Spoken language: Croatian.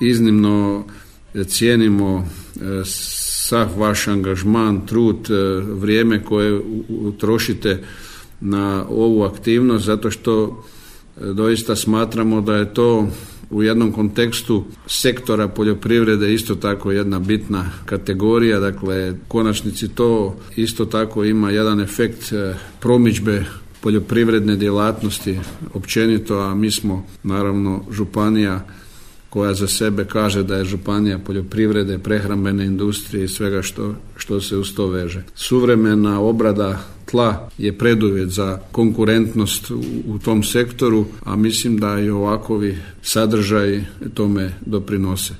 Iznimno cijenimo sav vaš angažman, trud, vrijeme koje utrošite na ovu aktivnost, zato što doista smatramo da je to u jednom kontekstu sektora poljoprivrede isto tako jedna bitna kategorija. Dakle, u konačnici to isto tako ima jedan efekt promidžbe poljoprivredne djelatnosti općenito, a mi smo naravno županija koja za sebe kaže da je županija poljoprivrede, prehrambene industrije i svega što se uz to veže. Suvremena obrada tla je preduvjet za konkurentnost u tom sektoru, a mislim da i ovakovi sadržaji tome doprinose.